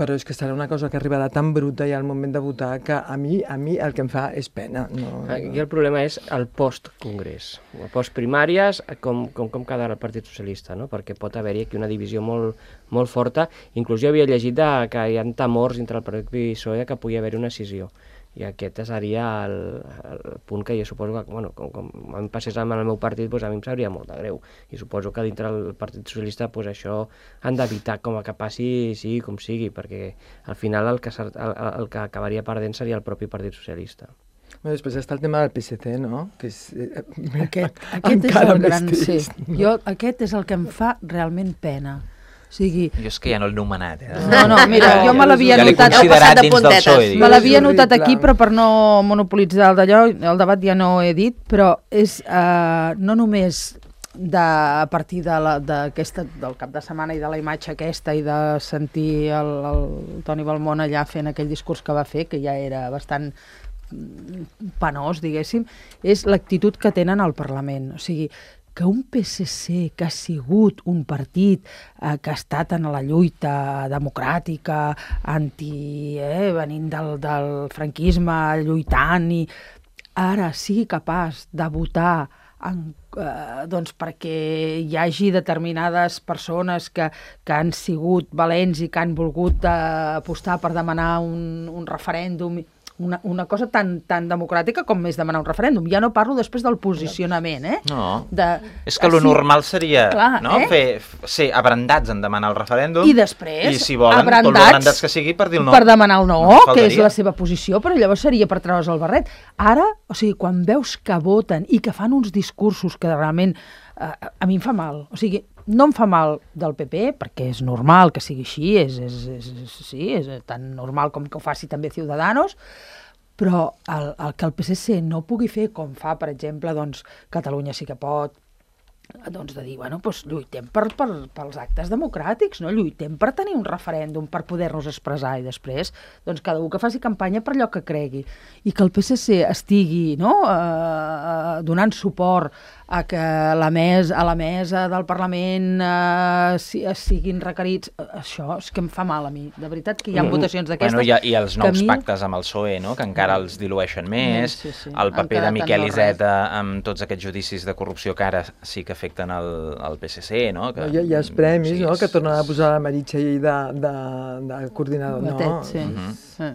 però és que serà una cosa que arribarà tan bruta ja al moment de votar que a mi, a mi el que em fa és pena. No, Aquí el problema és el post-congrés, el post-primàries, com, com, com quedarà el Partit Socialista, no? Perquè pot haver-hi aquí una divisió molt, molt forta. Inclús jo havia llegit de, que hi ha temors entre el Partit P S O E que pugui haver-hi una escissió. I aquest seria el, el punt que jo suposo que, bueno, com, com a mi passés amb el meu partit, doncs a mi em sabria molt de greu. I suposo que dintre del Partit Socialista doncs això han d'evitar com que passi, sigui com sigui, perquè al final el que, el, el que acabaria perdent seria el propi Partit Socialista. Bueno, després està el tema del P S C, no? Que és, eh, aquest aquest és el gran... Sí. Jo, aquest és el que em fa realment pena. O sigui... Jo és que ja no l'he nomenat. Eh? No, no, mira, jo me l'havia ja notat... Ja l'he considerat dins del P S O E. Me l'havia notat aquí, però per no monopolitzar el d'allò, el debat ja no ho he dit, però és uh, no només de, a partir de la, de aquesta, del cap de setmana i de la imatge aquesta i de sentir el, el Toni Balmón allà fent aquell discurs que va fer, que ja era bastant penós, diguéssim, és l'actitud que tenen al Parlament. O sigui, que un P S C que ha sigut un partit eh, que ha estat en la lluita democràtica, anti, eh, venint del, del franquisme, lluitant, i ara sigui capaç de votar en, eh, doncs perquè hi hagi determinades persones que, que han sigut valents i que han volgut eh, apostar per demanar un, un referèndum. una, una cosa tan, tan democràtica com és demanar un referèndum. Ja no parlo després del posicionament, eh? No, de, és que lo sí, normal seria clar, no? eh? Fer, ser abrandats en demanar el referèndum i després, i si volen, abrandats, tot l'abrandats que sigui per dir el no. Per demanar el no, no que és la seva posició, però llavors seria per treure's el barret. Ara, o sigui, quan veus que voten i que fan uns discursos que realment eh, a mi em fa mal, o sigui, no em fa mal del P P, perquè és normal que sigui així, és, és, és, és, sí, és tan normal com que ho faci també Ciudadanos, però el, el que el P S C no pugui fer com fa, per exemple, doncs, Catalunya sí que pot, doncs de dir, bueno, doncs lluitem per, per, pels actes democràtics, no? Lluitem per tenir un referèndum, per poder-nos expressar, i després, doncs cada un que faci campanya per allò que cregui. I que el P S C estigui, no?, eh, donant suport a que la mes, a la mesa del Parlament eh, si, siguin requerits, això és que em fa mal a mi. De veritat que hi ha mm. votacions d'aquestes... Bueno, i, i els nous mi... pactes amb el P S O E, no?, que encara els dilueixen més, sí, sí. el paper Encara de Miquel no Iceta amb tots aquests judicis de corrupció que ara sí que afecten el, el P S C, no? Que, hi, ha, hi ha els premis, sí, no?, és... que tornen a posar la Meritxell de, de, de coordinador, Batet, no? sí. Mhm. sí.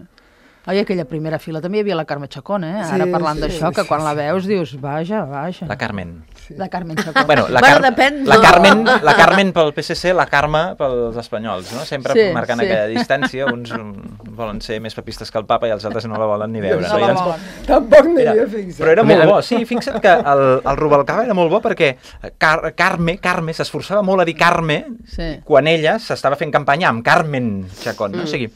Oi, aquella primera fila també hi havia la Carme Chacón, eh? Ara Sí, parlant sí, d'això, sí, que quan sí, la sí. veus dius, vaja, vaja. La Carmen. La Carmen Chacón. Bueno, la, Bueno, Car depèn, la, no? Carmen, la Carmen pel P S C, la Carme pels espanyols, no? Sempre Sí, marcant sí. aquella distància, uns volen ser més papistes que el papa i els altres no la volen ni veure. No No? la I ens- volen. Tampoc m'hi Mira, havia fixat. però era molt bo, sí, fixa't que el, el Rubalcaba era molt bo perquè Car Carme, Carme s'esforçava molt a dir Carme Sí. quan ella s'estava fent campanya amb Carmen Chacón, no? O sigui,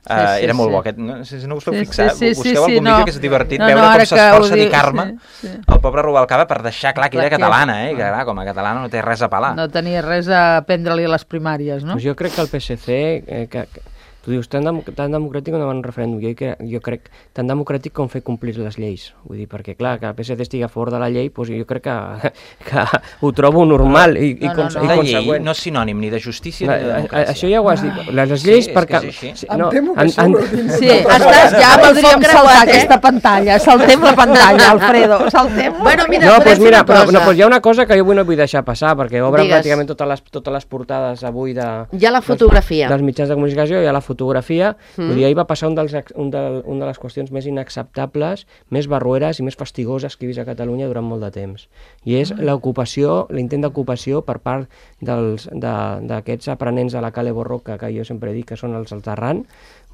Uh, Sí, sí, era molt sí. bo aquest, no sé si no us heu Sí, fixat, sí, sí, busqueu sí, algun no. vídeo que és divertit No, veure no, com ara que s'esforça ho a dir diu, Carme sí, sí. el pobre Rubalcaba per deixar clar que Clar era que- catalana, eh? Que clar, com a catalana no té res a pelar. No tenia res a prendre-li a les primàries, no? Pues jo crec que el P S C, eh, que, que, tu dius, tan, dem tan democràtic com davant un referèndum, jo, que, jo crec tan democràtic com fer complir les lleis. Vull dir, perquè clar, que el P S C estigui a favor de la llei, pues jo crec que, que ho trobo normal i, i, No, no, cons no. i La llei consegüent. no és sinònim ni de justícia La, ni de a, a, democràcia. això ja ho has dit. Les, les Sí, lleis és perquè... que és així. Sí, Em temo que això ho dins. Sí, estàs ja Amb el podríem foc saltar creuat, eh? aquesta pantalla. Saltem la pantalla, Alfredo. Saltem. Bueno, mira, No, podem pues fer mira, una però, cosa. no, pues hi ha una cosa que jo avui no vull deixar passar, perquè obren Digues. pràcticament totes les, totes les portades avui de... Hi ha la fotografia. Dels, dels mitjans de comunicació, hi ha la fotografia. Mm. Vull dir, ahir va passar un dels, ex- un de, una de les qüestions més inacceptables, més barrueres i més fastigoses que he vist a Catalunya durant molt de temps. I és l'ocupació, l'intent d'ocupació per part dels- de- d'aquests aprenents de la Cale Borroca, que jo sempre dic que són els Altarran,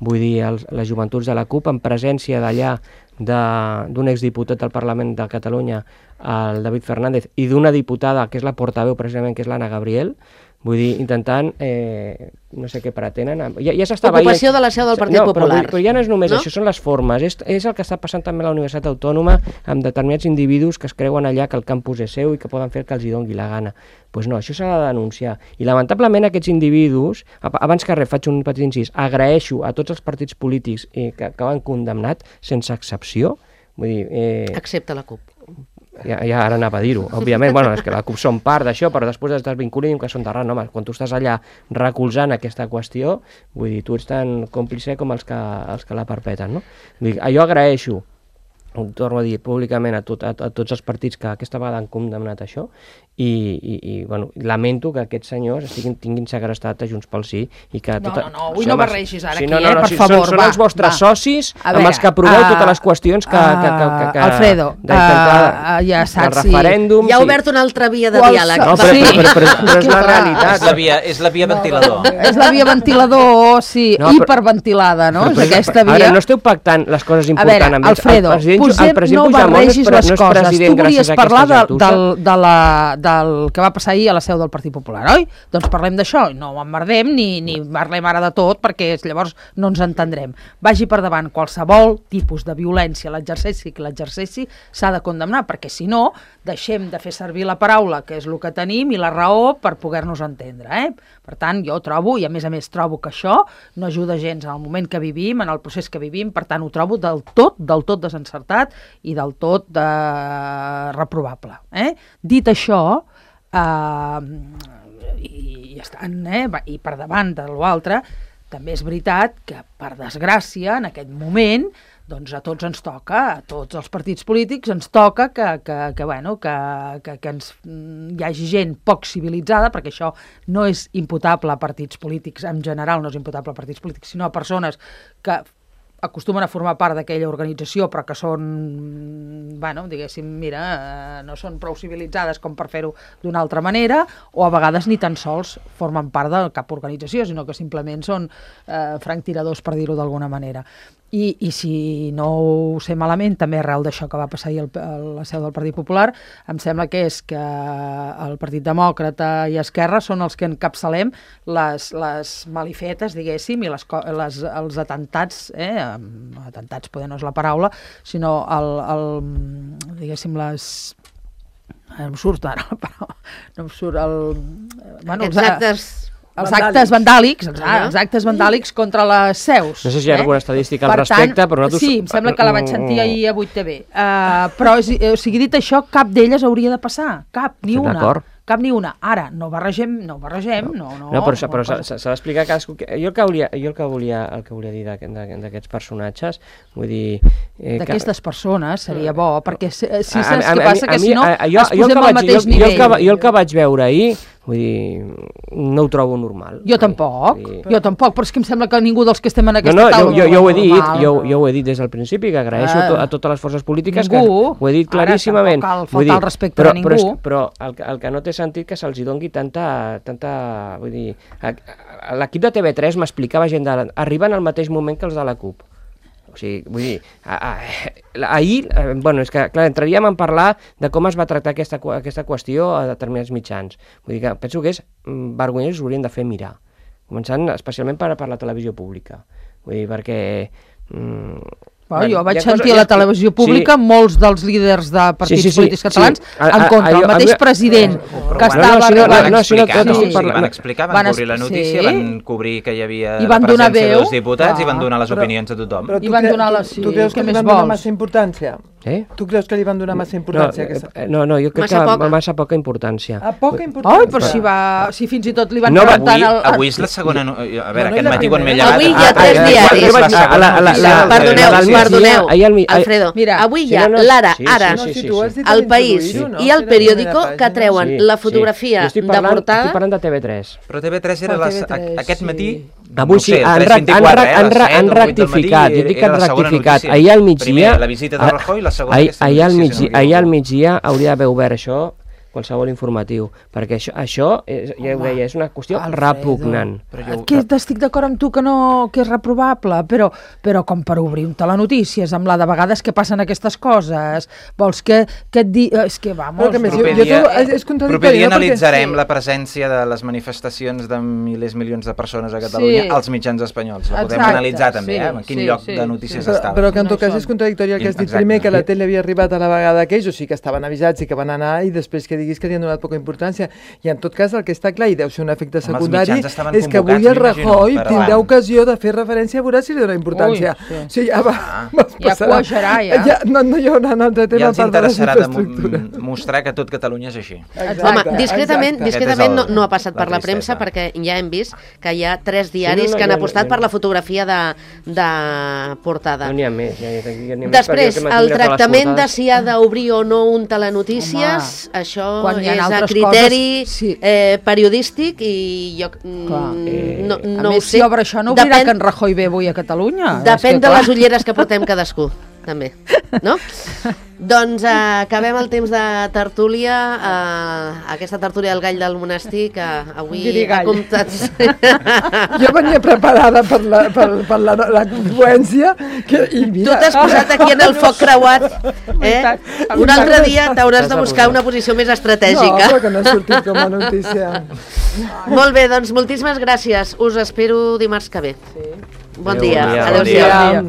vull dir, els, les joventuts de la CUP, en presència d'allà de- d'un exdiputat del Parlament de Catalunya, el David Fernández, i d'una diputada que és la portaveu precisament, que és l'Anna Gabriel, vull dir, intentant, eh, no sé què pretenen. Ja, ja s'estava Ocupació de la seu del Partit no, però, Popular. vull dir, però ja no és només No? això, són les formes. És, és el que està passant també a la Universitat Autònoma amb determinats individus que es creuen allà que el campus és seu i que poden fer el que els hi doni la gana. Doncs pues no, això s'ha de denunciar. I lamentablement aquests individus, ab- abans que res faig un petit incís, agraeixo a tots els partits polítics eh, que, que van condemnat, sense excepció, vull dir... Eh, Excepte la CUP. ja, ja ara anava a dir-ho, òbviament, bueno, és que la CUP són part d'això, però després es desvinculin que són d'arran, home, quan tu estàs allà recolzant aquesta qüestió, vull dir, tu ets tan còmplice com els que, els que la perpeten, no? Vull dir, jo agraeixo, ho torno a dir públicament a, tot, a, a tots els partits que aquesta vegada han condemnat això i, i, i bueno, lamento que aquests senyors estiguin, tinguin segrestat a Junts pel Sí i que No, tota... no, no, avui Sí, no home, barregis ara sí, aquí, no, no, eh, no, per sí, favor, són, va, són els vostres va. socis A amb veure, els que aproveu uh, totes les qüestions que... que, que, que, que Alfredo, d'intentar- uh, ja del saps si- referèndum... Hi ha sí. obert una altra via de Qualse- diàleg. No, però, Sí. però, però, però, però és la Clar. realitat. És la via, és la via ventilador. És la via ventilador, sí, No, però- hiperventilada, no? Però, És però, aquesta via... Ara, no esteu pactant les coses A importants veure, amb ells. Alfredo, el president, posem, el president no Puigdemont barregis és, pre- les no és coses. president Tu volies gràcies a parlar de, aquesta gentussa. del, de la, del que va passar ahir a la seu del Partit Popular, oi? Doncs parlem d'això, no emmerdem ni, ni parlem ara de tot, perquè llavors no ens entendrem. Vagi per davant qualsevol tipus de violència, l'exercici que l'exercici s'ha de condemnar, perquè si no, deixem de fer servir la paraula, que és el que tenim, i la raó per poder-nos entendre. Eh? Per tant, jo trobo, i a més a més trobo que això no ajuda gens en el moment que vivim, en el procés que vivim, per tant ho trobo del tot, del tot desencertat i del tot de... reprovable. Eh? Dit això, eh, i, i, estan, eh, va- i per davant de l'altre, també és veritat que, per desgràcia, en aquest moment, doncs a tots ens toca, a tots els partits polítics ens toca que, que, que, bueno, que, que, que ens, hi hagi gent poc civilitzada, perquè això no és imputable a partits polítics, en general no és imputable a partits polítics, sinó a persones que acostumen a formar part d'aquella organització, però que són, bueno, diguéssim, mira, eh, no són prou civilitzades com per fer-ho d'una altra manera, o a vegades ni tan sols formen part de cap organització, sinó que simplement són eh, franctiradors, per dir-ho d'alguna manera. I, I si no ho sé malament, també arrel d'això que va passar ahir a la seu del Partit Popular, em sembla que és que el Partit Demòcrata i Esquerra són els que encapçalem les, les malifetes, diguéssim, i les, les, els atentats, eh, atentats poder no és la paraula, sinó el, el, diguéssim, les... No em surt ara la paraula, no em surt el... Bueno, Aquests actes... Els actes vandàlics, els, ah, els actes vandàlics contra les seus. No sé si hi ha eh? alguna estadística al per respecte, tant, però nosaltres... Sí, em sembla que la vaig sentir ahir a vuit T V. Uh, però, o sigui, dit això, cap d'elles hauria de passar. Cap, ni una. D'acord. Cap ni una. Ara, no barregem, no barregem, no, no. No, però, però s'ha d'explicar cadascú... Jo el que volia, jo el que volia, el que volia dir d'aquests personatges, vull dir... Eh, D'aquestes que... persones seria bo, perquè si, si saps què passa, que si no a, a, jo, es posem al mateix jo, nivell. Jo el, que, jo el que vaig veure ahir, vull dir, no ho trobo normal. Jo tampoc, dir... jo tampoc, però és que em sembla que ningú dels que estem en aquesta no, no, taula... Jo, jo, jo, ho he dit, jo, jo ho he dit des del principi, que agraeixo ah, a totes les forces polítiques, ningú, que ho he dit claríssimament. Ara tampoc cal faltar el respecte però, a ningú. Però, però el, el que no té sentit que se'ls doni tanta... tanta vull dir, l'equip de T V tres m'explicava gent de... arriben al mateix moment que els de la CUP. O sigui, vull dir, a, a, ahir, eh, bueno, és que, clar, entraríem a parlar de com es va tractar aquesta, aquesta qüestió a determinats mitjans. Vull dir que penso que és vergonyós, us haurien de fer mirar, començant especialment per, per la televisió pública. Vull dir, perquè... Mm, Bueno, jo vaig sentir a la televisió pública sí. molts dels líders de partits sí, sí, sí, polítics catalans sí. en contra. El mateix president que estava... Van explicar, van explicar, van cobrir la notícia, van cobrir que hi havia la presència dels diputats i van donar les opinions a tothom. Però tu creus que li van donar massa importància? Eh? Tu creus que li van donar massa importància? No, aquesta... no, no, jo crec massa que poca. massa poca importància. A poca importància? Oi, però si, va, si fins i tot li van no, preguntar... Avui, el... avui és la segona... No... A veure, no, aquest matí quan m'he llevat... Avui hi ha tres diaris. Perdoneu, perdoneu, Alfredo. Mira, avui hi ha l'Ara, Ara, el País i el Periódico que treuen la fotografia de portada... Estic parlant de T V tres. Però T V tres era aquest matí... Avui sí, han rectificat, jo dic que han rectificat. Ahir al migdia... La visita de Rajoy, la segona aquesta ahir al migdia, ahir al migdia hauria d'haver obert això qualsevol informatiu, perquè això, això és, ja ho deia, és una qüestió Alfredo, repugnant. Jo... Que estic d'acord amb tu que no que és reprovable, però, però com per obrir un telenotícies, amb la de vegades que passen aquestes coses, vols que, que et di... És que, vamos... Que més, proper, jo, jo, és, és proper dia analitzarem sí. la presència de les manifestacions de milers, milions de persones a Catalunya sí. als mitjans espanyols. La podem Exacte, analitzar també, sí, eh? En quin sí, lloc sí, de notícies sí. estava. Però que en tot cas és contradictori el que has dit primer, que la tele havia arribat a la vegada aquells, o sigui que estaven avisats i que van anar, i després que diguis que li han donat poca importància. I en tot cas el que està clar, i deu ser un efecte secundari, és que avui el Rajoy tindrà ocasió de fer referència a veure si li dona importància. Ui, sí. O sigui, ja va, ah. ja cuajarà, ja. ja no, no hi haurà un altre tema. Ja els interessarà de mostrar que tot Catalunya és així. Exacte, Home, discretament, discretament no, no ha passat per la premsa, perquè ja hem vist que hi ha tres diaris sí, no, no, que han apostat per la fotografia de, de portada. No n'hi ha més. Ja, ja ha Després, el tractament de si ha d'obrir o no un telenotícies, Home, això és a criteri coses, sí. eh, periodístic i jo mm, no, no a més, ho sé. Si obre això no obrirà que en Rajoy ve avui a Catalunya. Depèn de les ulleres que portem cadascú, també, no? Doncs eh, acabem el temps de tertúlia, eh, aquesta tertúlia del gall del monestir, que avui ha comptat... Jo venia preparada per la, per, per la, la confluència. Que, i mira. Tu t'has posat aquí en el foc creuat. Eh? Un altre dia t'hauràs de buscar una posició més estratègica. No, però que no ha sortit com a notícia. Molt bé, doncs moltíssimes gràcies. Us espero dimarts que ve. Sí. Bon dia. Adéu, Adéu-siau.